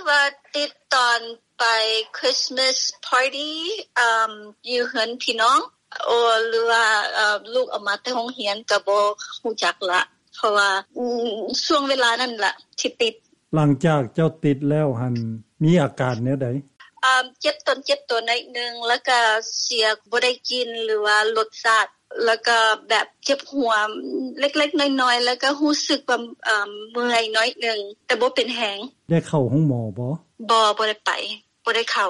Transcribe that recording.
ວ່າຕິດຕອນໄປ Christmas party ຢູ່ເຮືອນພີ່ນ້ອງ ຫຼືວ່າລູກເອົາມາແຕ່ໂຮງຮຽນ ກໍບໍ່ຮູ້ຈັກລະ ເພາະວ່າຊ່ວງເວລານັ້ນລະທີ່ຕິດ. ຫຼັງຈາກເຈົ້າຕິດແລ້ວຫັ້ນ ມີອາການແນວໃດ? ເຈັບຕົນເຈັບໂຕໜ້ອຍໜຶ່ງ ແລ້ວກໍສຽງບໍ່ໄດ້ກິ່ນ ຫຼືວ່າລົດຊາດ ແລ້ວກໍແບບເຈັບຫົວເລັກໆນ້ອຍໆ ແລ້ວກໍຮູ້ສຶກວ່າເມື່ອຍໜ້ອຍໜຶ່ງ ແຕ່ບໍ່ເປັນແຮງ. ໄດ້ເຂົ້າໂຮງໝໍບໍ່? ບໍ່ ບໍ່ໄດ້ໄປ ບໍ່ໄດ້ເຂົ້າ.